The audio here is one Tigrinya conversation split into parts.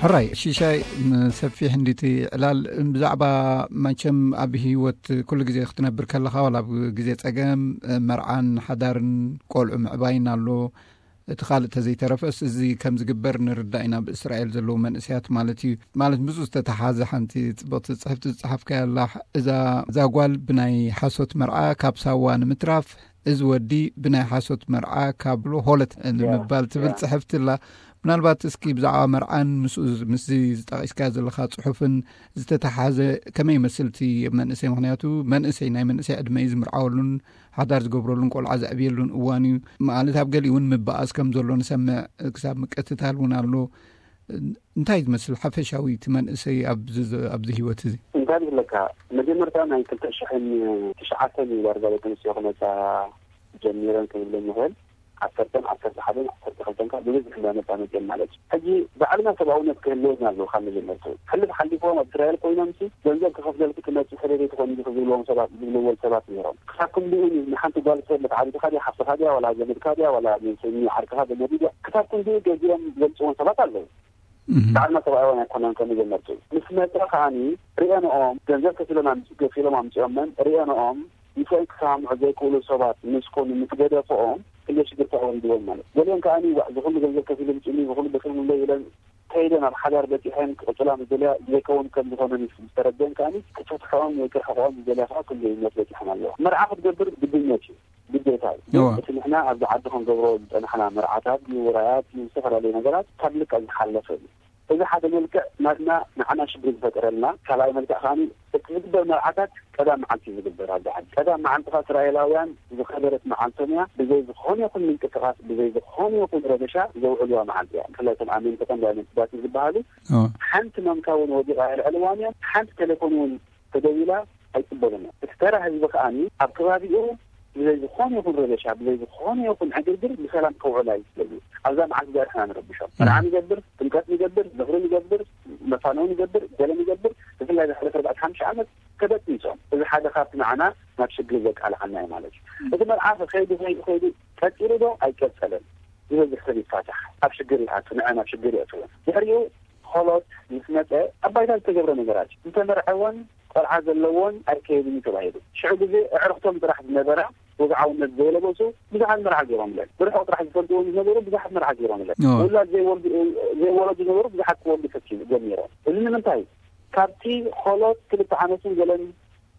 ሕራይ ሽሻይ፣ ሰፊሕ እንዲቲ ዕላል። ብዛዕባ መቸም ኣብ ህይወት ኩሉ ግዜ ክትነብር ከለኻ፣ ዋላ ኣብ ግዜ ጸገም፣ መርዓን ሓዳርን ቆልዑ ምዕባይን ኣሎ። እቲ ካልእ ተዘይተረፈስ፣ እዚ ከም ዝግበር ንርዳእ ኢና፣ ብእስራኤል ዘለዉ መንእሰያት ማለት እዩ። ማለት ምስኡ ዝተተሓዘ ሓንቲ ጽብቕቲ ጽሕፍቲ ዝጸሓፍካያ ኣላ። እዛ እዛ ጓል ብናይ ሓሶት መርዓ ካብ ሳዋ ንምትራፍ፣ እዚ ወዲ ብናይ ሓሶት መርዓ ካብ ሆለት ንምባል ትብል ጽሕፍቲ ኣላ። ምናልባት እስኪ ብዛዕባ መርዓን ምስኡ ምስዚ ዝጠቒስካዮ ዘለኻ ጽሑፍን ዝተተሓዘ ከመይ ይመስል እቲ መንእሰይ? ምኽንያቱ መንእሰይ፣ ናይ መንእሰይ ዕድመ እዩ፣ ዝምርዓወሉን ሓዳር ዝገብረሉን ቆልዓ ዘዕብየሉን እዋን እዩ። ማለት ኣብ ገሊኡ እውን ምበኣስ ከም ዘሎ ንሰምዕ፣ ክሳብ ምቅትታል እውን ኣሎ። እንታይ ዝመስል ሓፈሻዊ እቲ መንእሰይ ኣብዚ፣ ኣብዚ ህይወት እዚ? እንታይ ዝብለካ፣ መጀመርታ ናይ ክልተ ሽሕን ትሽዓተን እዩ ዳርጋ ደቂ ኣንስትዮ ክመጻ ጀሚረን ክንብል ንኽእል። ዓሰርተን ዓሰርተ ሓደን ዓሰርተ ክልተን ካብ ብብዝሒ እንዳመጻ መጽየን ማለት እዩ። ሕጂ ባዕልና ሰብኣውነት ክህልወና ኣለዎ። ካብ መጀመርትኡ ሕልፍ ሓሊፎም ኣብ እስራኤል ኮይኖም ሲ ገንዘብ ክኸፍለልኩ ትመጽእ ሰበይቲ ትኾን ኢሉ ዝብልዎም ሰባት፣ ዝብልዎ ሰባት ነይሮም። ክሳብ ክንድኡ ንሓንቲ ጓል ሰብ መትዓቢትካ ድያ፣ ሓፍትኻ ድያ፣ ዋላ ዘመድካ ድያ፣ ዋላ ንዓርክኻ ዘመድ ድያ፣ ክሳብ ክንድኡ ገዚኦም ዘምጽዎም ሰባት ኣለዉ። ባዕልና ሰብኣውያን ኣይኮነን ከም መጀመርትኡ። ምስ መጸ ከኣኒ ሪአንኦም ገንዘብ ከፊሎም ኣምጽ-፣ ከፊሎም ኣምጽኦመን ሪአንኦም ምስኦም ክሰማምዑ ዘይክእሉ ሰባት ምስ ኮኑ፣ ምስ ገደፍኦም፣ ክንደይ ሽግር ተወሊድዎም ማለት። ገሊኦም ከኣኒ ዋእ፣ እዚ ኩሉ ገንዘብ ከፊሉ ምጽኡኒ፣ እዚ ኩሉ ደኺሙለይ ኢለን ከይደን ኣብ ሓዳር በጺሐን ክቕጽላ ምስ ደልያ ዘይከውን ከም ዝኾነ ምስ ዝተረድአን ከኣኒ ክትፍትሕኦም ወይ ክርሕቕኦም ዝደልያ ከዓ ክንደይ እምነት በጺሐን ኣለዋ። መርዓ ክትገብር ግድነት እዩ፣ ግዴታ እዩ። እወ። እቲ ንሕና ኣብዚ ዓዲ ክንገብሮ ዝጸናሕና መርዓታት ድዩ፣ ውራያት ድዩ፣ ዝተፈላለዩ ነገራት ካብ ልክዕ ዝሓለፈ እዩ። እዚ ሓደ መልክዕ ናትና ንዓና ሽግር ዝፈጠረልና። ካልኣይ መልክዕ ከኣኒ እቲ ዝግበር መርዓታት ቀዳም መዓልቲ እዩ ዝግበር ኣብዚ ዓዲ። ቀዳም መዓልቲ ከዓ እስራኤላውያን ዝኸበረት መዓልቶም እያ። ብዘይ ዝኾነ ይኹን ምንቅስቓስ፣ ብዘይ ዝኾነ ይኹን ረበሻ ዘውዕልዋ መዓልቲ እያ። ብፍላይ እቶም ኣመንቲ ቀንዲ ኣመንትታት ዝበሃሉ እወ። ሓንቲ ማንካ እውን ወዲቓ ኣየልዕልዋን እዮም። ሓንቲ ቴሌፎን እውን ተደዊላ ኣይቅበሉን እዮም። እቲ ተራ ህዝቢ ከኣኒ ኣብ ከባቢኡ ብዘይ ዝኾነ ይኹን ረበሻ፣ ብዘይ ዝኾነ ይኹን ዕግርግር ብሰላም ከውዕላ እዩ ዝደልዩ። ኣብዛ መዓልቲ እዚኣ ንሕና ንረብሾም። መርዓ ንገብር፣ ጥምቀት ንገብር፣ ዝኽሪ ንገብር፣ መፋነዊ ንገብር፣ ገለ ንገብር፣ ብፍላይ ዝሓለፈ ኣርባዕተ ሓሙሽተ ዓመት ተበጥቢሶም። እዚ ሓደ ካብቲ ንዓና ናብ ሽግር ዘቃልዓና እዩ ማለት እዩ። እቲ መርዓ ከይዱ፣ ከይዱ፣ ከይዱ ቀጺሉ ዶ ኣይቀጸለን? ዝበዝሕ ሰብ ይፋታሕ፣ ኣብ ሽግር ይኣቱ፣ ንዕን ኣብ ሽግር የእትዎ። ድሕሪኡ ኾሎት ምስ መጸ ኣብ ባይታ ዝተገብረ ነገራት እዩ። ዝተመርዐወን ቆልዓ ዘለዎን ኣይከየድን እዩ ተባሂሉ። ሽዑ ግዜ ኣዕርኽቶም ጥራሕ ዝነበራ ወግዓውነት ዘይለበሱ ብዙሓት መርዓ ገይሮምለን። ብርሑቕ ጥራሕ ዝፈልጥዎም ዝነበሩ ብዙሓት መርዓ ገይሮምለን። እዎ። ውላድ ዘይወልዱ፣ ዘይወለዱ ዝነበሩ ብዙሓት ክወልዱ ፈቲኑ፣ ጀሚሮም። እዚ ንምንታይ? ካብቲ ኾሎት ክልተ ዓመትን ገለን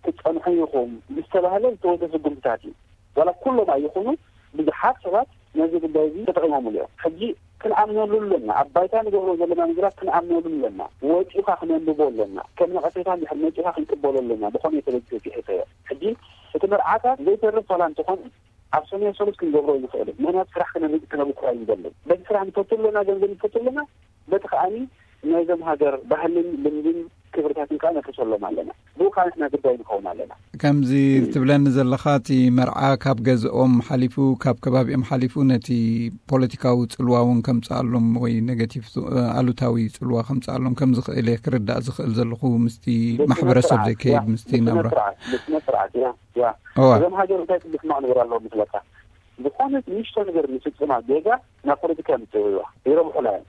ትጸንሑ ኢኹም ዝተባህለ ዝተወሰደ ስጉምትታት እዩ። ዋላ ኩሎም ኣይኹኑ፣ ብዙሓት ሰባት ነዚ ጉዳይ እዚ ተጠቒሞምሉ እዮም። ሕጂ ክንኣምነሉ ኣለና። ኣብ ባይታ ንገብሮ ዘለና ነገራት ክንኣምነሉ ኣለና። ወጺኡኻ ክነንብቦ ኣለና። ከም ነቐፌታ እንድሕር መጺኡኻ ክንቅበሎ ኣለና። ብኾነ ተበጊሱ ጽሒፈዮ። ሕጂ እቲ መርዓታት ዘይተርፍ ዋላ እንተኾነ ኣብ ሰሙን ሰሉስ ክንገብሮ ንኽእል። ምኽንያቱ ስራሕ ክነብ-፣ ክነብኩር ኣይንደልን። በቲ ስራሕ ንፈቱ ኣለና፣ ገንዘብ ንፈቱ ኣለና። በቲ ከኣኒ ናይዞም ሃገር ባህልን ልምድን ክብርታትን ከኣ ነፍርሰሎም ኣለና። ብኡ ከኣ ንሕና ግዳይ ንኸውን ኣለና። ከምዚ ትብለኒ ዘለኻ፣ እቲ መርዓ ካብ ገዝኦም ሓሊፉ፣ ካብ ከባቢኦም ሓሊፉ፣ ነቲ ፖለቲካዊ ጽልዋ እውን ከምጽኣሎም ወይ ኔጋቲቭ፣ ኣሉታዊ ጽልዋ ከምጽኣሎም ከም ዝኽእል እየ ክርዳእ ዝኽእል ዘለኹ፣ ምስቲ ብስነ ማሕበረሰብ ስርዓት፣ ዘይከይድ፣ ያ፣ ምስቲ ብስነ ናብራ። ስርዓት፣ ብስነ ስርዓት፣ ያ፣ ያ። እዋ። እዞም ሃገር እንታይ ትብል ሕማቕ ነገር ኣለዎም መስለካ? ዝኾነት ንእሽቶ ነገር ንፍጽማ ጌጋ ናብ ፖለቲካ የምጽእዋ፣ ይረብሑላ እዮም።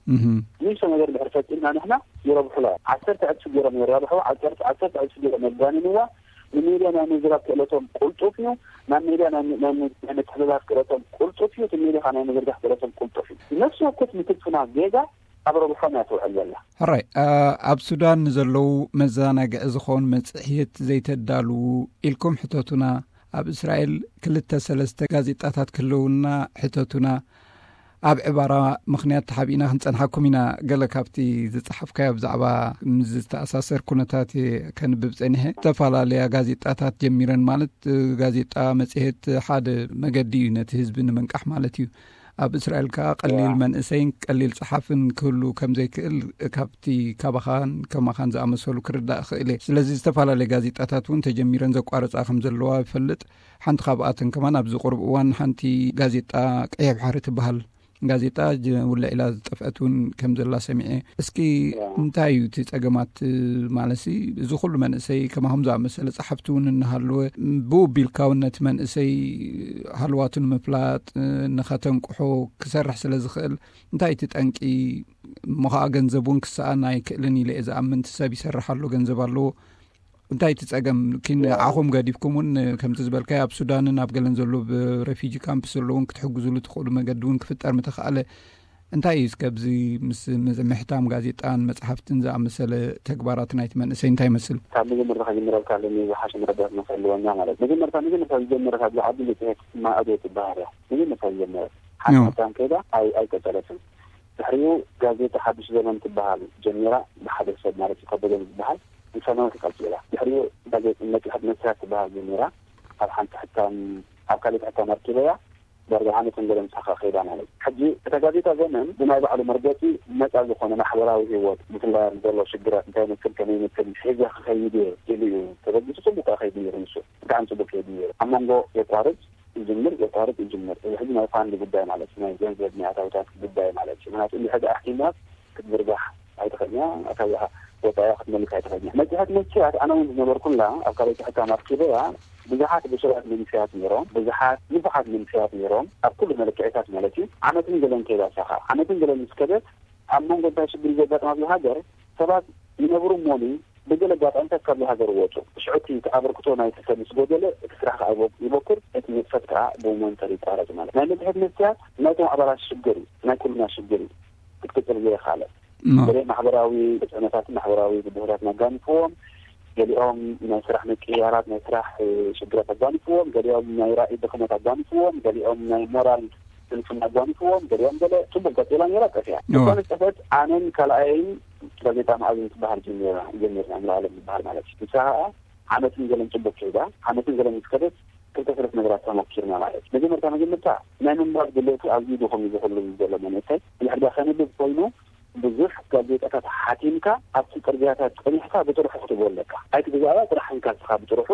እህ። ንእሽቶ ነገር ድሕሪ ፈጺምና ንሕና ይረብሑላ እዮም። ዓሰርተ ዕጽፊ ገይሮም የራብሕዋ፣ ዓሰርተ፣ ዓሰርተ ዕጽፊ ገይሮም የጋንንዋ። ንሜድያ ናይ ምዝራብ ክእለቶም ቁልጡፍ እዩ። ናብ ሜድያ ናይ፣ ናይ፣ ናይ ምትሕልላፍ ክእለቶም ቁልጡፍ እዩ። እቲ ሜድያ ናይ ምዝርጋሕ ክእለቶም ቁልጡፍ እዩ። ነፍሲ ወከፍ ንፍጽማ ጌጋ ኣብ ረብሖም እያ ትውዕል ዘላ። ሕራይ፣ ኣ-፣ ኣብ ሱዳን ንዘለዉ መዘናግዒ ዝኾን መጽሔት ዘይተዳልዉ ኢልኩም ሕተቱና። ኣብ እስራኤል ክልተ ሰለስተ ጋዜጣታት ክህልውና ሕተቱና። ኣብ ዕባራ ምኽንያት ተሓቢእና ክንጸንሓኩም ኢና። ገለ ካብቲ ዝጸሓፍካዮ ብዛዕባ ምስ ዝተኣሳሰር ኩነታት እየ ከንብብ ጸኒሐ። ዝተፈላለያ ጋዜጣታት ጀሚረን፣ ማለት ጋዜጣ፣ መጽሔት ሓደ መገዲ እዩ ነቲ ህዝቢ ንምንቃሕ ማለት እዩ። ኣብ እስራኤል ከኣ ቀሊል ያ። መንእሰይን ቀሊል ጸሓፍን ክህሉ ከም ዘይክእል ካብቲ ካባኻን ከማኻን ዝኣመሰሉ ክርዳእ እኽእል እየ። ስለዚ ዝተፈላለየ ጋዜጣታት እውን ተጀሚረን ዘቋረጻ ከም ዘለዋ ይፈልጥ። ሓንቲ ካብኣተን ከማን ኣብዚ ቁሩብ እዋን ሓንቲ ጋዜጣ ቀይሕ ባሕሪ ትበሃል ጋዜጣ ጅ-፣ ውልዕ ኢላ ዝጠፍአት እውን ከም ዘላ ሰሚዐ። እስኪ ያ። እንታይ እዩ እቲ ጸገማት? ማለትሲ እዚ ኩሉ መንእሰይ ከማኹም ዝኣመሰለ ጸሓፍቲ እውን እናሃለወ፣ ብኡ ቢልካ እውን ነቲ መንእሰይ ሃልዋቱ ንምፍላጥ፣ ንኸተንቅሖ ክሰርሕ ስለ ዝኽእል፣ እንታይ እቲ ጠንቂ? እሞ ኸዓ ገንዘብ እውን ክሰኣን ኣይክእልን ኢለ እየ ዝኣምን። እቲ ሰብ ይሰርሕ ኣሎ፣ ገንዘብ ኣለዎ። እንታይ እቲ ጸገም? ኪን ዓኹም ገዲፍኩም እውን ከምቲ ዝበልካዮ ኣብ ሱዳንን ኣብ ገለን ዘሎ ብሬፊጂ ካምፕስ ዘሎ እውን ክትሕግዙሉ ትኽእሉ መገዲ እውን ክፍጠር ምተኻእለ። እንታይ እዩ እስከ ኣብዚ ምስ ምሕታም ጋዜጣን መጽሓፍትን ዝኣመሰለ ተግባራት ናይቲ መንእሰይ እንታይ ይመስል? ካብ መጀመርታ ከጀምረልካ ኣለኒ፣ ዝሓሸ መረዳት መሰልወኛ ማለት። መጀመርታ መጀመርታ ዝጀመረ ካብ ዝዓቢ መጽሔት ማእዶ ትበሃል እያ። መጀመርታ ዝጀመረ ሓንቲ ሓታም ከይዳ ኣይ ኣይቀጸለትን። ድሕሪኡ ጋዜጣ ሓድሽ ዘመን ትበሃል ጀሚራ፣ ብሓደ ሰብ ማለት እዩ፣ ከበደ ዝበሃል፣ ንሰማያት ይቀጽላ። ድሕሪኡ ጋዜጣ መጽሔት መስትያት ትበሃል ጀሚራ፣ ኣብ ሓንቲ ሕታም፣ ኣብ ካልእ ሕታም ኣርኪበያ፣ ዳርጋ ዓመትን ገለን ሳኻ ከይዳ ማለት እዩ። ሕጂ እታ ጋዜጣ ዘመን ብናይ ባዕሉ መርገጺ ነጻ ዝኾነ ማሕበራዊ ህይወት፣ ብፍላይ ዘሎ ሽግራት እንታይ ይመስል፣ ከመይ ይመስል፣ ሒዘ ክኸይድ እየ ኢሉ እዩ ተበጊሱ። ጽቡቅ ከኣ ከይዱ ነይሩ ንሱ። ብጣዕሚ ጽቡቅ ከይዱ ነይሩ። ኣብ መንጎ የቋርጽ፣ ይጅምር፣ የቋርጽ፣ ይጅምር። እዚ ሕጂ ናይ ፋንድ ጉዳይ ማለት እዩ፣ ናይ ገንዘብ፣ ናይ ኣታውታት ጉዳይ ማለት እዩ። ምክንያቱ እንድሕር ደኣ ኣሕቲምዋ ክትዝርጋሕ ኣይትኽእልን እያ፣ ኣታዊኻ ወጻኢኻ ክትመልስ ኣይትኽእልን እያ። መጽሔት መስትያት ኣነ እውን ዝነበርኩላ ኣብ ካልኣይቲ ሕታም ኣርኪበያ፣ ብዙሓት ብሱላት መንእሰያት ነይሮም፣ ብዙሓት ንፉዓት መንእሰያት ነይሮም፣ ኣብ ኩሉ መለክዒታት ማለት እዩ። ዓመትን ገለን ከይዳ ሳኻ፣ ዓመትን ገለን ምስ ከደት፣ ኣብ መንጎ እንታይ ሽግር እዩ ዘጋጥም ኣብዚ ሃገር? ሰባት ይነብሩ እሞኒ ብገለ ኣጋጣሚታት ካብዚ ሃገር ይወጹ። ሽዑ እቲ ኣበርክቶ ናይቲ ሰብ ምስ ጎደለ፣ እቲ ስራሕ ከኣ ይቦ-፣ ይቦክር፣ እቲ ንጥፈት ከኣ ብሞመንተሪ ይቋረጽ ማለት። ናይ መጽሔት መስትያት ናይቶም ኣባላት ሽግር እዩ፣ ናይ ኩልና ሽግር እዩ። ክትቅጽል ዘይኻለ። እሞ ገሊኦም ማሕበራዊ ተጽዕኖታትን ማሕበራዊ ብድሆታትን ኣጋኒፍዎም፣ ገሊኦም ናይ ስራሕ ምቅይያራት፣ ናይ ስራሕ፣ እ፣ ሽግራት ኣጋኒፍዎም፣ ገሊኦም ናይ ራእይ ድኽመት ኣጋኒፍዎም፣ ገሊኦም ናይ ሞራል ስንፍና ኣጋኒፍዎም፣ ገሊኦም ገለ ጽቡቅ ቀጺላ ነይራ፣ ጠፊኣ። እዋ። እኳ ንጠፍአት ኣነን ካልኣየይን ጋዜጣ መኣዝን ትበሃል ጀሚርና፣ ጀሚርና፣ ሙሉዓለም ዝበሃል ማለት እዩ። ንሳ ኸኣ ዓመትን ገለን ጽቡቅ ከይዳ፣ ዓመትን ገለን ምስ ከደት ክልተ ሰለስተ ነገራት ተመኪርና ማለት እዩ። መጀመርታ፣ መጀመርታ ናይ ምንባብ ድሌቱ ኣዝዩ ድኹም እዩ ዝህሉ ዘሎ መንእሰይ። እንድሕር ደኣ ከንብብ ኮይኑ ብዙሕ ጋዜጣታት ሓቲምካ ኣብቲ ጽርግያታት ጸኒሕካ ብጥርሑ ክትህቦ ኣለካ። ኣይትግዛእዋ፣ ጥራሕ ንካ ንስኻ ብጥርሑ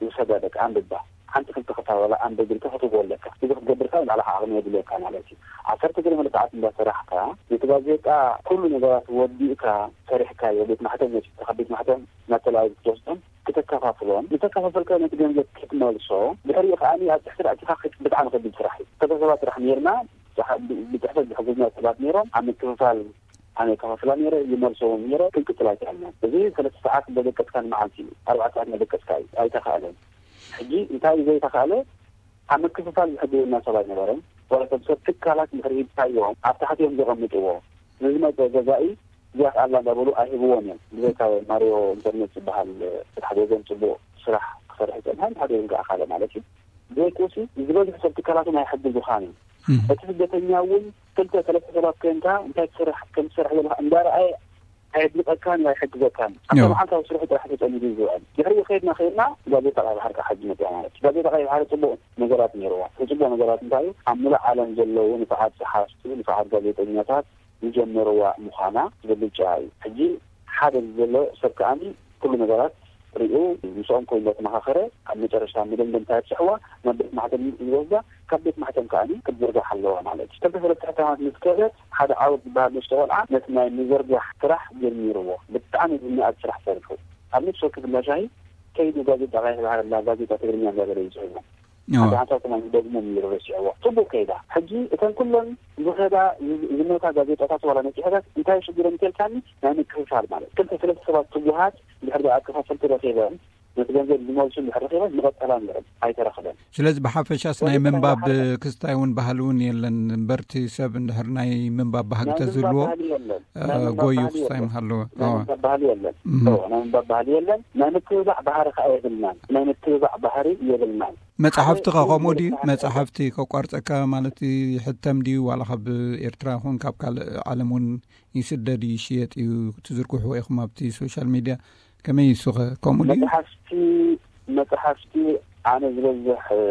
ውሰዳ፣ በቃ ኣንብባ። ሓንቲ ክልተ ክታብ ዋላ ኣንብብ ኢልካ ክትህቦ ኣለካ። እዚ ክትገብር ከኣ ባዕልኻ ዓቕሚ የድልየካ ማለት እዩ። ዓሰርተ ገለ መለክዓት እንዳሰራሕካ ነቲ ጋዜጣ ኩሉ ነገራት ወዲእካ ሰሪሕካዮ፣ ቤት ማሕተም ወሲድካ፣ ካብ ቤት ማሕተም ናብ ተላኣዩ ክትወስዶም፣ ክተከፋፍሎም፣ ዝተከፋፈልካዮ ነቲ ገንዘብ ክትመልሶ፣ ድሕሪኡ ከኣ ኣብ ጽሕፈት ኣእቲኻ ክት-፣ ብጣዕሚ ከቢድ ስራሕ እዩ። ክልተ ሰባት ጥራሕ ነይርና፣ ብጽሓ-፣ ብ-፣ ብጽሕፈት ዝሕግዙና ሰባት ነይሮም፣ ኣብ ምክፍፋል ኣነ ከፋፍላ ነይረ፣ ይመልሶ እውን ነይረ፣ ክንቅጽል ኣይከኣልናን። እዚ ሰለስተ ሰዓት እንዳደቀስካ ንመዓልቲ እዩ፣ ኣርባዕተ ሰዓት እንዳደቀስካ እዩ፣ ኣይተኻእለን። ሕጂ እንታይ እዩ ዘይተኻእለ? ኣብ ምክፍፋል ዝሕግዙና ሰብ ኣይነበረን። ዋላ ሰብ፣ ሰብ ትካላት እንድሕር ሂብካዮም፣ ኣብ ታሕቲ እዮም ዘቐምጥዎ። ንዝመጸ ገዛኢ እዚኣ ከኣላ እንዳበሉ ኣይህብዎን እዮም። ብዘይካ ማርዮ ኢንተርኔት ዝበሃል ሓደ ወገን ጽቡቕ ስራሕ ክሰርሕ ይጸንሐ፣ ሓደ ወገን ከኣ ካልእ ማለት እዩ። ብዘይኮሲ ዝበዝሕ ሰብ ትካላት እውን ኣይሕግዙኻን እዮም። እም። እቲ ስደተኛ እውን ክልተ ሰለስተ ሰባት ኮይንካ እንታይ ትሰርሕ፣ ከም ትሰርሕ ዘለኻ እንዳረኣየ ኣየድንቐካን ኣይሕግዘካን። ኣብታ እዎ። መዓልታዊ ስርሑ ጥራሕ ተጸሚዱ እዩ ዝውዕል። ድሕሪኡ ከይድና ከይድና ጋዜጣ ቀይ ባሕሪ ከዓ ሕጂ መፅያ ማለት እዩ። ጋዜጣ ቀይ ባሕሪ ፅቡቕ ነገራት ነይርዋ። እቲ ፅቡቕ ነገራት እንታይ እዩ? ኣብ ሙሉእ ዓለም ዘለዉ ንፉዓት ጸሓፍቲ፣ ንፉዓት ጋዜጠኛታት ዝጀመርዋ ምዃና ብልጫ እዩ። ሕጂ ሓደ ዘሎ ሰብ ከኣኒ ኩሉ ነገራት ሪኡ ምስኦም ኮይኑ እንዳተመኻኸረ ኣብ መጨረሽታ መደምደምታ የብፅሕዋ፣ ናብ ቤት ማሕተም ዝወስዳ፣ ካብ ቤት ማሕተም ከኣኒ ክትዝርጋሕ ኣለዋ ማለት እዩ። ክልተ ሰለስተ ሕታማት ምስ ከደት ሓደ ዓወት ዝበሃል ንእሽቶ ቆልዓ ነቲ ናይ ምዝርጋሕ ስራሕ ጀሚርዎ። ብጣዕሚ ዝነኣድ ስራሕ ሰሪሑ። ኣብ ነፍሲ ወከፍ እንዳ ሻሂ ከይዱ ጋዜጣ ቀይሕ ባሕሪ ኣላ፣ ጋዜጣ ትግርኛ እንዳበለ እዩ ዝሕዞም። እዎ። ሓንቲ ሓንሳብ ከማን ይደግሞም እዩ ረሲዕዎ። ጽቡቕ ከይዳ። ሕጂ እተን ኩለን ዝኸዳ ዝ-፣ ዝሞታ ጋዜጣታት ዋላ ነጺሐታት እንታይ ሽግረን እንተልካኒ ናይ ምክፍፋል ማለት። ክልተ ሰለስተ ሰባት ትጉሃት እንድሕር ደኣ ኣከፋፈልቲ ረኺበን ነቲ ገንዘብ ዝመልሱ እንድሕር ረኺበን ምቐጸላ ነይረን። ኣይተረኽበን። ስለዚ ብሓፈሻስ ናይ ወይስ ምንባብ ናይ ክስታይ እውን ባህሊ እውን የለን። እምበርቲ ሰብ እንድሕር ናይ ምንባብ ባህጊ ናይ ምንባብ ተዝህልዎ፣ ባህሊ የለን። እ፣ ናይ ምንባብ ጎዩ ባህሊ ክስታይ የለን። ምሃለዎ። ናይ እዎ። ምንባብ ባህሊ የለን። እም። እዎ፣ ናይ ምንባብ ባህሊ የለን። ናይ ምትብባዕ ባህሪ ከኣ የብልናን። ናይ ምትብባዕ ባህሪ የብልናን። መጻሕፍቲ ሓደ ከ ከምኡ ድዩ? መጽሓፍ መጻሕፍቲ ከቋርጸካ ማለት ይሕተም ድዩ? ዋላ ካብ ኤርትራ ይኹን ካብ ካልእ ዓለም እውን ይስደድ ይሽየጥ እዩ፣ ትዝርግሕዎ ኢኹም ኣብቲ ሶሻል ሚድያ። ከመይ እሱ ከ ከምኡ ድዩ? መጽሓፍቲ፣ መጽሓፍቲ ኣነ ዝበዝሕ፣ እ፣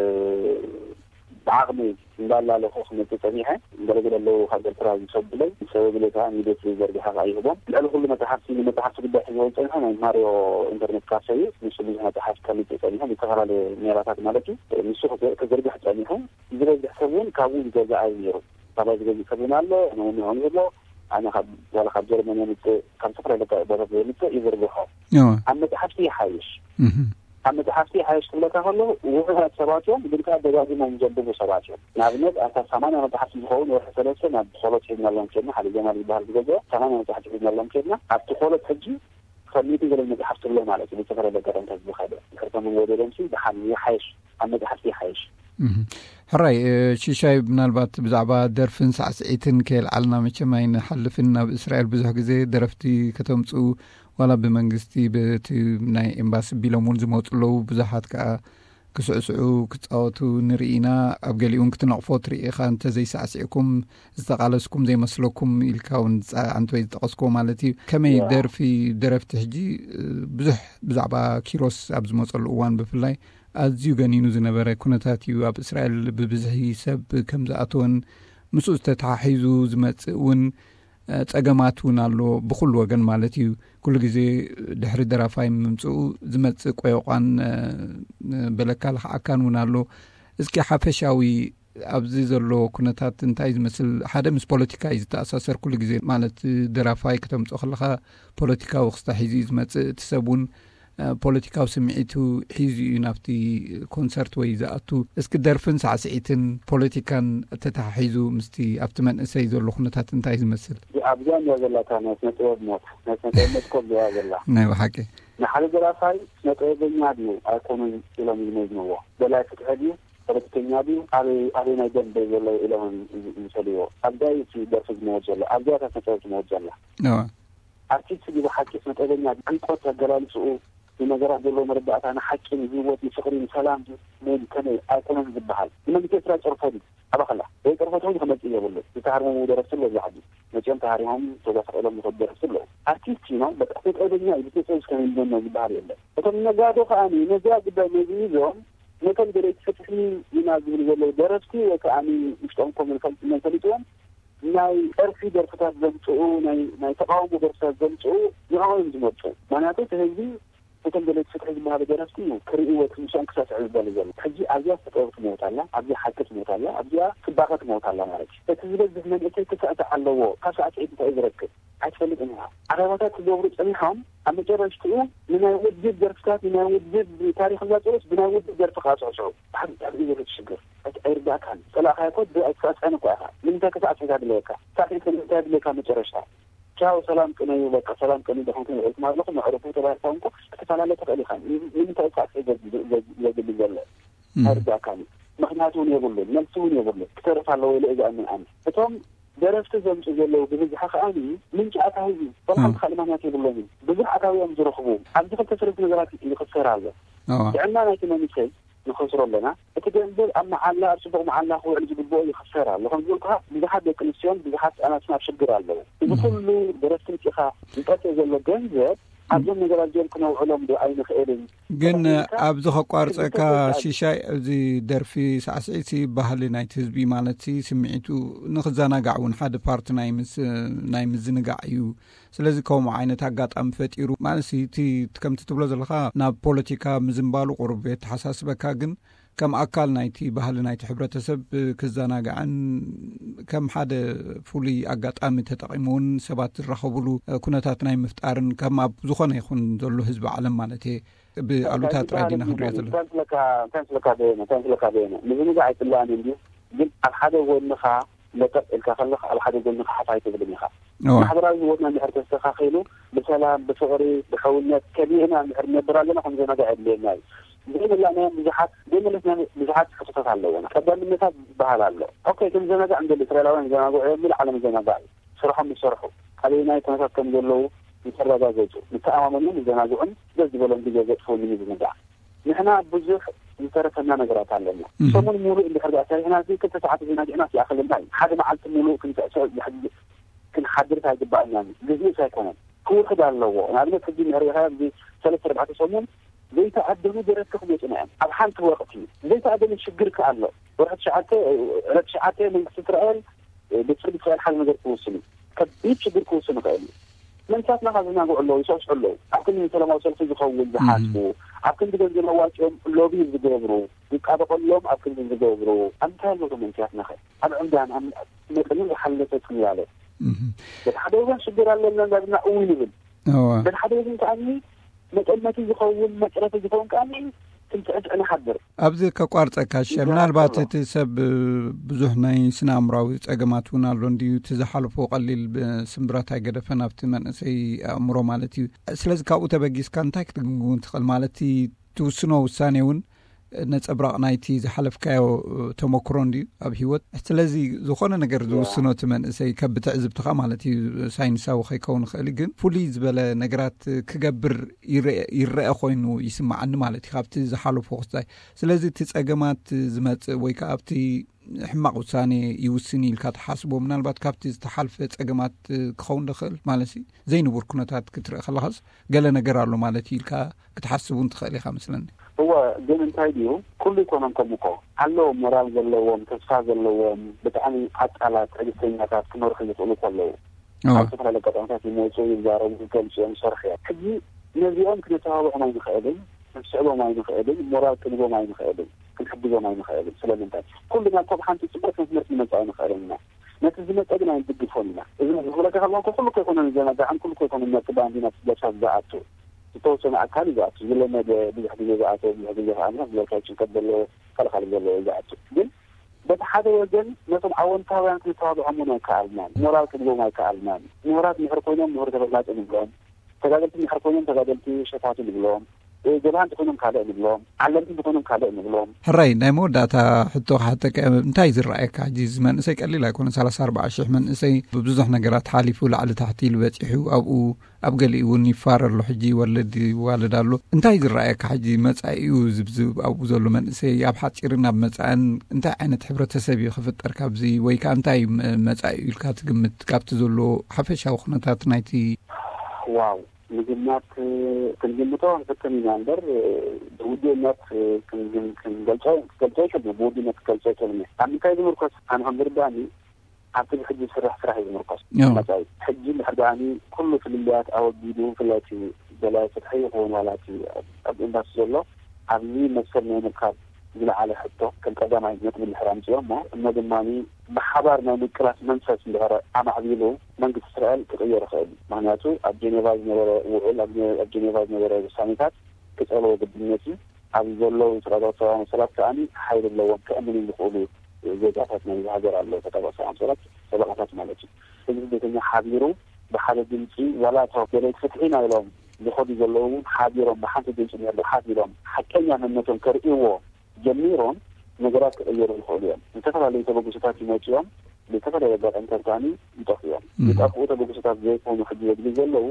ብዓቕሚ እንዳላለኹ ክመጽእ ጸኒሐ። ገለገለ ኣለዉ ካብ ኤርትራ ዝሰዱለይ፣ ዝሰደዱለይ ከኣ ሚድያ ስለ ዘርግሐ ከኣ ይህቦም። ልዕሊ ኩሉ መጽሓፍቲ፣ ንመጽሓፍቲ ጉዳይ ሒዝዎ ዝጸንሐ ናይ ማርዮ ኢንተርኔት ካፈ እዩ። ንሱ ብዙሕ መጽሓፍቲ ከምጽእ ጸኒሑ፣ ብዝተፈላለየ ሜላታት ማለት እዩ። ንሱ ክዘ-፣ ክዝርግሕ ጸኒሑ። ዝበዝሕ ሰብ እውን ካብኡ ዝገዝኣ እዩ ነይሩ። ካባይ ዝገዝእ ሰብ እውን ኣሎ፣ ንኡ ንኡ ይብሎ። ኣነ ካብ፣ ዋላ ካብ ጀርመን የምጽእ፣ ካብ ዝተፈላለዩ ቦታታት የምጽእ፣ ይዝርግሖ። እዎ። ኣብ መጽሓፍቲ ይሓይሽ። እህ። ኣብ መጽሓፍቲ ሓይሽ ክብለካ ከሎ ውሑዳት ሰባት እዮም፣ ግን ከዓ ደጋጊሞም ዘንብቡ ሰባት እዮም። ንኣብነት ኣብታ ሰማንያ መጽሓፍቲ ዝኸውን ወርሒ ሰለስተ ናብ ኾሎት ሒዝናሎም ከድና፣ ሓደ ጀማል ዝበሃል ዝገዝኦ ሰማንያ መጽሓፍቲ ሒዝናሎም ከድና፣ ኣብቲ ኾሎት ሕጂ ከሚቲ ገለ መጽሓፍቲ ኣሎ ማለት እዩ። ብዝተፈላለየ ኣጋጣሚታት ዝኸደ ድሕርቶም ወደሎምሲ ብሓን ይሓይሽ፣ ኣብ መጽሓፍቲ ይሓይሽ። ሕራይ ሽሻይ፣ ምናልባት ብዛዕባ ደርፍን ሳዕስዒትን ከየልዓልና መቸም ኣይንሓልፍን። ናብ እስራኤል ብዙሕ ግዜ ደረፍቲ ከተምፅኡ ዋላ ብመንግስቲ ብቲ ናይ ኤምባሲ ቢሎም እውን ዝመፁ ኣለዉ። ብዙሓት ከዓ ክስዕስዑ ክፃወቱ ንርኢ ኢና። ኣብ ገሊኡን ክትነቕፎ ትርኢ ኢኻ። እንተዘይሳዕስዕኩም ዝተቓለስኩም ዘይመስለኩም ኢልካ እውን ዝፀዓንት ወይ ዝጠቐስኮ ማለት እዩ። ከመይ ደርፊ ደረፍቲ ሕጂ ብዙሕ ብዛዕባ ኪሮስ ኣብ ዝመፀሉ እዋን ብፍላይ ኣዝዩ ገኒኑ ዝነበረ ኩነታት እዩ። ኣብ እስራኤል ብብዝሒ ሰብ ከም ዝኣተወን ምስኡ ዝተተሓሒዙ ዝመፅእ እውን ፀገማት እውን ኣሎ፣ ብኩሉ ወገን ማለት እዩ። ኩሉ ግዜ ድሕሪ ደራፋይ ምምፅኡ ዝመፅእ ቆይቋን በለካ ልኽዓካን እውን ኣሎ። እስኪ ሓፈሻዊ ኣብዚ ዘሎ ኩነታት እንታይ ዝመስል? ሓደ ምስ ፖለቲካ እዩ ዝተኣሳሰር ኩሉ ግዜ፣ ማለት ደራፋይ ከተምፅኦ ከለካ ፖለቲካዊ ክስታ ሒዙ እዩ ዝመፅእ። እቲ ሰብ እውን ፖለቲካዊ ስምዒቱ ሒዙ እዩ ናብቲ ኮንሰርት ወይ ዝኣቱ። እስኪ ደርፍን ሳዕስዒትን ፖለቲካን ተተሓሒዙ ምስቲ ኣብቲ መንእሰይ ዘሎ ኩነታት እንታይ ዝመስል? ኣብዚኣ እንዲያ ዘላታ ናይ ስነ ጥበብ ሞት፣ ናይ ስነ ጥበብ ሞት ኮ ኣብዚኣ ዘላ። ናይ ብሓቂ ንሓደ ደራፋይ ስነ ጥበበኛ ድዩ ኣይኮኑን ኢሎም ዝመዝንዎ። ደላይ ፍትሒ ድዩ ፖለቲከኛ ድዩ ኣበይ ኣበይ ናይ ደንበ ዘሎ ኢሎም ዝሰልዎ። ኣብዚኣ እዩ እቲ ደርፊ ዝመወት ዘሎ፣ ኣብዚኣ እታ ስነ ጥበብ ዝመወት ዘላ። ኣርቲስት ድዩ ብሓቂ ስነ ጥበበኛ ድዩ? ዕምቆት ኣገላልፅኡ፣ ንነገራት ዘለዎ መረዳእታ፣ ንሓቂ፣ ንህይወት፣ ንፍቕሪ፣ ንሰላም ድዩ? መን ከመይ ኣይኮነን ዝበሃል። ንመንግስቲ ኤርትራ ጨርፎ ድዩ? ኣባኸላ ወይ ጨርፎ ተውን ከመፅእ የብሉ። ዝተሃርሙ ደረፍቲ ኣለዉ። ኣብዚ ዓዲ መፅኦም ተሃሪሞም ተጓሳቒሎም ዝኸዱ ደረፍቲ ኣለዉ። ኣርቲስት ዩ ነው በቃ ስነ ጥበበኛ እዩ ብስነ ጥበብ እስከ ይንበኖ ዝበሃል የለን። እቶም ነጋዶ ከኣ ነዚኣ ጉዳይ መዝሚዞም ነቶም ደለይቲ ፍትሒ ኢና ዝብሉ ዘለዉ ደረፍቲ ወይ ከኣ ውሽጦም ኮም ፈሊጥዎም ናይ ጸርፊ ደርፍታት ዘምጽኡ፣ ናይ ተቃውሞ ደርፍታት ዘምጽኡ ንዕኦም እዮም ዝመርጹ። ምክንያቱ እቲ ህዝቢ እቶም ደለይቲ ፍትሒ ዝበሃሉ ደረፍቲ እዩ ክርእይዎ፣ እቲ ምስኦም ክሳስዕ ዝደሊ ዘሎ። ሕጂ ኣብዚኣ ተጠበብቲ ሞት ኣላ፣ ኣብዚኣ ሓቂ ትሞት ኣላ፣ ኣብዚኣ ጽባቐ ትሞት ኣላ ማለት እዩ። እቲ ዝበዝሕ መንእሰይ ክስዕስዕ ኣለዎ። ካብ ሳዕስዒት እንታይ እዩ ዝረክብ? ኣይትፈልጥን ኢኻ። ዓረባታት ክገብሩ ጸኒሖም ኣብ መጨረሽትኡ ንናይ ውድብ ደርፍታት፣ ንናይ ውድብ ታሪኽ እንዳጸወት ብናይ ውድብ ደርፊ ከዓ ጽዕጽዑ። ብሓቂ ብጣዕሚ እዩ ዘሎ እቲ ሽግር። ኣይርዳእካን። ጸላእካዮ እኮ ኣይትሳዕስዐን እኮ ኢኻ። ንምንታይ ከሳዕስዕ ኢኻ ድለየካ? ሳዕስዒት ንምንታይ ድለየካ መጨረሽታ? ቻው ሰላም ቅነዩ፣ በቃ ሰላም ቅነዩ፣ ደኸምኩም ውዒልኩም ኣለኹም፣ ኣዕርፉ ተባሂልካ እውን እኮ ክትፈላለ ትኽእል ኢኻ። ንምንታይ እዩ ሳዕስዒት ዘድሊ ዘሎ? ኣይርዳእካን እዩ። ምኽንያት እውን የብሉን፣ መልሲ እውን የብሉን። ክተርፍ ኣለዎ ኢለ እየ ዝኣምን ኣነ። እቶም ደረፍቲ ዘምፁ ዘለዉ ብብዝሒ ከኣ ምንጪ ኣታዊ እዩ። ወላ ሓንቲ ካልእ ምኽንያት የብሎምን። ብዙሕ ኣታዊ እዮም ዝረኽቡ። ኣብዚ ክልተ ሰለስተ ነገራት ይኽሰር ኣሎ። ጥዕና ናይቲ መንእሰይ ንኸስሮ ኣለና። እቲ ገንዘብ ኣብ መዓላ፣ ኣብ ፅቡቕ መዓላ ክውዕል ዝግብኦ ይኽሰር ኣሎ። ከም ዝበልኩኻ ብዙሓት ደቂ ኣንስትዮን ብዙሓት ህፃናትን ኣብ ሽግር ኣለዉ። እዚ ኩሉ ደረፍቲ ምፂኻ ዝጠፍእ ዘሎ ገንዘብ ኣብዞም ነገራት እዚኦም ክነውዕሎም ዶ ኣይንኽእልን? ግን ኣብዚ ከቋርፀካ ሽሻይ፣ እዚ ደርፊ ሳዕስዒት ሲ ባህሊ ናይቲ ህዝቢ ማለት ሲ ስምዒቱ ንክዘናጋዕ እውን ሓደ ፓርቲ ናይ ምስ ናይ ምዝንጋዕ እዩ። ስለዚ ከምኡ ዓይነት ኣጋጣሚ ፈጢሩ ማለት ሲ እቲ ከምቲ ትብሎ ዘለካ ናብ ፖለቲካ ምዝንባሉ ቁሩብ የተሓሳስበካ፣ ግን ከም ኣካል ናይቲ ባህሊ ናይቲ ሕብረተሰብ ክዘናጋዕን ከም ሓደ ፍሉይ ኣጋጣሚ ተጠቂሙ እውን ሰባት ዝራኸብሉ ኩነታት ናይ ምፍጣርን ከም ኣብ ዝኾነ ይኹን ዘሎ ህዝቢ ዓለም ማለት እየ ብኣሉታ ጥራይ ዲና ክንሪኦ ዘለና። እንታይ ስለካ በየነ እንታይ ስለካ በየነ ምዝንጋዕ ኣይፅላእን እንድዩ፣ ግን ኣብ ሓደ ጎንኻ ለጠጥ ኢልካ ከለኻ ኣብ ሓደ ጎንኻ ሓፍ ኣይትብልን ኢኻ። ማሕበራዊ ህይወትና እንድሕር ተስተኻኺሉ ብሰላም ብፍቕሪ ብሕውነት ከሊእና እንድሕር ንነብር ኣለና ከምዘናጋዕ የድልየና እዩ። ዘይመላእናዮም ብዙሓት ዘይመለስና ብዙሓት ሕቶታት ኣለውና። ቀዳምነታት ዝበሃል ኣሎ። ኦኬ፣ ክንዘናጋዕ እንደሊ እስራኤላውያን ይዘናግዑ እዮም፣ ምሉእ ዓለም ይዘናጋዕ እዩ። ስርሖም ይሰርሑ፣ ኣበየናይ ኩነታት ከም ዘለዉ ይተረጋገጹ፣ ይተኣማመኑን ይዘናግዑን ደስ ዝበሎም ግዜ ዘጥፍኡን ንምዝንጋዕ። ንሕና ብዙሕ ዝተረፈና ነገራት ኣለና። ሰሙን ሙሉእ እንድሕር ደኣ ሰሪሕና፣ እዚ ክልተ ሰዓት ዘናጊዕናስ ይኣኽለና እዩ። ሓደ መዓልቲ ሙሉእ ክንስዕስዕ ክንሓድርስ ኣይግባኣናን እዩ። ግዜስ ኣይኮነን፣ ክውሕድ ኣለዎ። ንኣብነት ሕጂ እንድሕር ሪኢኻዮ ኣብዚ ሰለስተ ኣርባዕተ ሰሙን ዘይተኣደኑ ደረፍቲ ክመጹና እዮም። ኣብ ሓንቲ ወቕቲ ዘይተኣደነ ሽግር ከኣ ኣሎ። ወርሒ ትሽዓተ ዕለት ትሽዓተ መንግስቲ እስራኤል ቤት ፍርዲ እስራኤል ሓደ ነገር ክውስን እዩ። ከቢድ ሽግር ክውስን ይኽእል እዩ። መንእሰያትና ከኣ ዝዘናግዑ ኣለዉ፣ ይስዕስዑ ኣለዉ። ኣብ ክንዲ ንሰላማዊ ሰልፊ ዝኸውን ዝሓስቡ፣ ኣብ ክንዲ ገንዘብ ኣዋጺኦም ሎቢ ዝገብሩ፣ ዝጣበቐሎም ኣብ ክንዲ ዝገብሩ፣ ኣብ እንታይ ኣለዉ እቶም መንእሰያትና ኸ? ኣብ ዕምዳን ኣብ መጠኑ ዝሓለፈ ጽላለ። በቲ ሓደ ወገን ሽግር ኣለና እንዳብልና እው ንብል። በቲ ሓደ ወገን ከኣ መጠመቲ ዝኸውን፣ መፅረፊ ዝኸውን ከኣ ትምትዕትዕ ንሓድር። ኣብዚ ከቋርፀካ ሸ፣ ምናልባት እቲ ሰብ ብዙሕ ናይ ስነ ኣእምራዊ ፀገማት እውን ኣሎ እንድዩ፣ እቲ ዝሓለፎ ቀሊል ስምብራት ኣይገደፈን ኣብቲ መንእሰይ ኣእምሮ ማለት እዩ። ስለዚ ካብኡ ተበጊስካ እንታይ ክትግምግም ትኽእል? ማለት እቲ ትውስኖ ውሳኔ እውን ነፀብራቕ ናይቲ ዝሓለፍካዮ ተመክሮ እንድዩ ኣብ ህይወት። ስለዚ ዝኾነ ነገር ዝውስኖ እቲ መንእሰይ ከብ ትዕዝብትኻ ማለት እዩ፣ ሳይንሳዊ ከይከውን ይኽእል እዩ፣ ግን ፍሉይ ዝበለ ነገራት ክገብር ይረአ ኮይኑ ይስምዓኒ ማለት እዩ ካብቲ ዝሓለፎ ክስታይ። ስለዚ እቲ ጸገማት ዝመጽእ ወይ ከዓ ኣብቲ ሕማቕ ውሳኔ ይውስን ኢልካ ትሓስቦ፣ ምናልባት ካብቲ ዝተሓልፈ ጸገማት ክኸውን ዝኽእል ማለት እዩ። ዘይንቡር ኩነታት ክትርኢ ከለኻስ ገለ ነገር ኣሎ ማለት እዩ ኢልካ ክትሓስብ እውን ትኽእል ኢኻ መስለኒ። እወ፣ ግን እንታይ ድዩ፣ ኩሉ ይኮነን ከምኡ እኮ ኣለዎም፣ ሞራል ዘለዎም፣ ተስፋ ዘለዎም፣ ብጣዕሚ ዓቃላት፣ ትዕግስተኛታት ክመርሑ ዝኽእሉ እኮ ኣለዉ። ኣብ ዝተፈላለዩ ኣጋጣሚታት ይመፁ፣ ይዛረቡ፣ ይገልፁ እዮም፣ ይሰርሑ እዮም። ሕጂ ነዚኦም ክነተባብዖም ኣይንኽእልን፣ ክንስዕቦም ኣይንኽእልን፣ ሞራል ክንቦም ኣይንኽእልን፣ ክንሕግዞም ኣይንኽእልን። ስለምንታይ? ኩልና እኮ ብሓንቲ ፅቡቅ መስመር ክንመፅእ ኣይንኽእልን ኢና። ነቲ ዝመፀ ግን ኣይንድግፎን ኢና። እዚ ዝብለካ ከለኩ ኩሉ እኮ ኣይኮነን ዘናጋዕን፣ ኩሉ እኮ ኣይኮነን ነቲ ባንዲና ለብሳ ዝኣቱ። ዝተወሰነ ኣካል እዩ ዝኣቱ፣ ዝለመደ ብዙሕ ግዜ ዝኣተ፣ ብዙሕ ግዜ ከዓ ዝበልካ ጭንቀት ዘለዎ፣ ካልእ ካልእ ዘለዎ እዩ ዝኣቱ። ግን በቲ ሓደ ወገን ነቶም ኣወንታውያን ክንተባብዖም እውን ኣይከኣልናን፣ ሞራል ክንቦም ኣይከኣልናን። ምሁራት ምሕር ኮይኖም ምሁር ተፈላጢ ንብሎም፣ ተጋደልቲ ምሕር ኮይኖም ተጋደልቲ ሸፋቱ ንብሎም፣ ጀብሃ እንተኮይኖም ካልእ ንብሎም፣ ዓለምቲ እንተኮይኖም ካልእ ንብሎም። ሕራይ፣ ናይ መወዳእታ ሕቶ ክሓተካ፣ እንታይ ዝረኣየካ ሕጂ? እዚ መንእሰይ ቀሊል ኣይኮነ፣ ሰላሳ ኣርባዓ ሽሕ መንእሰይ ብብዙሕ ነገራት ሓሊፉ ላዕሊ ታሕቲ ኢሉ በፂሑ ኣብኡ ኣብ ገሊኡ እውን ይፋረ ኣሎ። ሕጂ ይወልድ ይዋልድ ኣሎ። እንታይ ዝረኣየካ ሕጂ መጻኢኡ ዝብዝብ ኣብኡ ዘሎ መንእሰይ ኣብ ሓጺር ናብ መጻእን እንታይ ዓይነት ሕብረተሰብ እዩ ክፍጠር ካብዚ ወይ ከዓ እንታይ መ- መጻኢኡ ኢልካ ትግምት ካብቲ ዘሎ ሓፈሻዊ ኩነታት ናይቲ? ዋው፣ ምግማት ክንግምቶ ንፍትን ኢና እምበር ብውድእነት ክንግም- ክንገልጾ ክንገልጾ ይችል ብውድእነት ክገልጾ ይችል። ኣብ ምንታይ ዝምርኮስ ኣነ ከም ዝርዳእኒ ኣብቲ ብሕጂ ዝስራሕ ስራሕ እዩ ዝምርኮስ። መጻኢ ሕጂ እንድሕር ደኣኒ ኩሉ ፍልልያት ኣወጊዱ፣ ብፍላይ እቲ ደላይ ፍትሒ ይኸውን ዋላ እቲ ኣብ ኤምባሲ ዘሎ ኣብዚ መሰል ናይ ምርካብ ዝለዓለ ሕቶ ከም ቀዳማይ ነጥቢ እንድሕር ኣምፅኦ እሞ እሞ ድማ ብሓባር ናይ ምቅላስ መንፈስ እንድሕር ኣማዕቢሉ መንግስቲ እስራኤል ክቕየር ይኽእል እዩ። ምክንያቱ ኣብ ጀኔቫ ዝነበረ ውዕል ኣብ ጀኔቫ ዝነበረ ውሳኔታት ክፀልዎ ግድነት እዩ። ኣብዚ ዘለዉ ተጣባቂ ሰብኣዊ መሰላት ከኣ ሓይሊ ኣለዎም፣ ከእምኑ ዝኽእሉ ዜጋታት ናይ ሃገር ኣለዉ፣ ተጣባቂ ሰብኣዊ መሰላት ጠበቃታት ማለት እዩ። ህዝቢ ቤተኛ ሓቢሩ ብሓደ ድምፂ ዋላ እቶም ደለይቲ ፍትሒ ኢና ኢሎም ዝኸዱ ዘለዉ እውን ሓቢሮም ብሓንቲ ድምፂ ነርዱ ሓቢሮም ሓቀኛ መንነቶም ከርእይዎ ጀሚሮም ነገራት ክቕየሩ ይኽእሉ እዮም። ዝተፈላለዩ ተበግሶታት ይመፅኦም ብዝተፈላለዩ ኣጋጣሚታት ከኣ ይጠፍኡ እዮም። ዝጠፍኡ ተበግሶታት ዘይኮኑ ሕጂ ዘድሊ ዘለዉ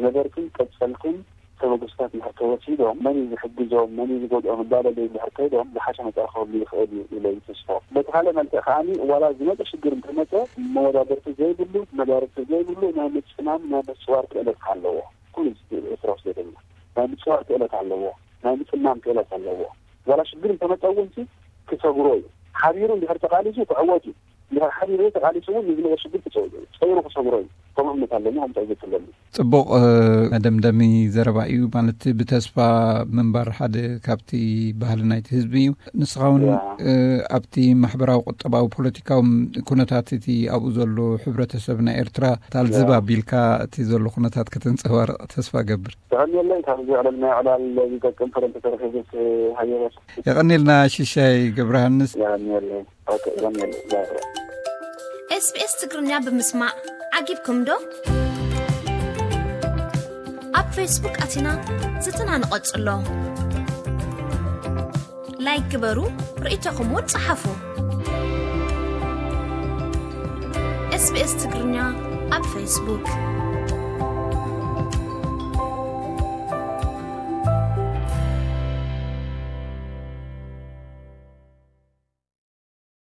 ነበርትን ቀፀልትን ተበግሶታት እንድሕር ተወሲዶም መን እዩ ዝሕግዞም መን እዩ ዝጎድኦም እንዳበለ እንድሕር ከይዶም ዝሓሸ መፃኢ ክህሉ ይኽእል እዩ ኢለ ይትስፎ። በቲ ካልእ መልክዕ ከኣ ዋላ ዝመፀ ሽግር እንተመፀ መወዳደርቲ ዘይብሉ መዳርግቲ ዘይብሉ ናይ ምፅማም ናይ ምፅዋር ክእለት ኣለዎ። ኩሉ ኤርትራዊ ስደተኛ ናይ ምፅዋር ክእለት ኣለዎ። ናይ ምፅማም ክእለት ኣለዎ። ዋላ ሽግር እንተመፀ እውን ክሰግሮ እዩ። ሓቢሩ እንድሕር ተቃሊሱ ክዕወት እዩ። እንድሕር ሓቢሩ ተቃሊሱ እውን ንዝመፀ ሽግር ክፀይሩ ክሰግሮ እዩ። ከም እምነት ኣለኒ ከምታይ ዘትለኒ። ፅቡቕ መደምደሚ ዘረባ እዩ። ማለት ብተስፋ ምንባር ሓደ ካብቲ ባህሊ ናይቲ ህዝቢ እዩ። ንስኻ እውን ኣብቲ ማሕበራዊ ቁጠባዊ ፖለቲካዊ ኩነታት እቲ ኣብኡ ዘሎ ሕብረተሰብ ናይ ኤርትራ ታልዝብ ኣቢልካ እቲ ዘሎ ኩነታት ከተንፀባርቕ ተስፋ ገብር። ተቐንየለይ ካብዚ ዕለል ናይ ዕላል ዝጠቅም ፍረ እንተተረኺቡ ሃየበ። የቐንየልና ሽሻይ ገብረሃንስ። የቐንየለይ። ኦኬ፣ የቐንየለይ። ባይ ባይ። SBS ትግርኛ ብምስማዕ ዓጊብኩም ዶ? ኣብ ፌስቡክ ኣቲና ዝትና ንቐጽሎ። ላይክ ግበሩ፣ ርእይቶኹም እውን ጸሓፉ። SBS ትግርኛ ኣብ ፌስቡክ።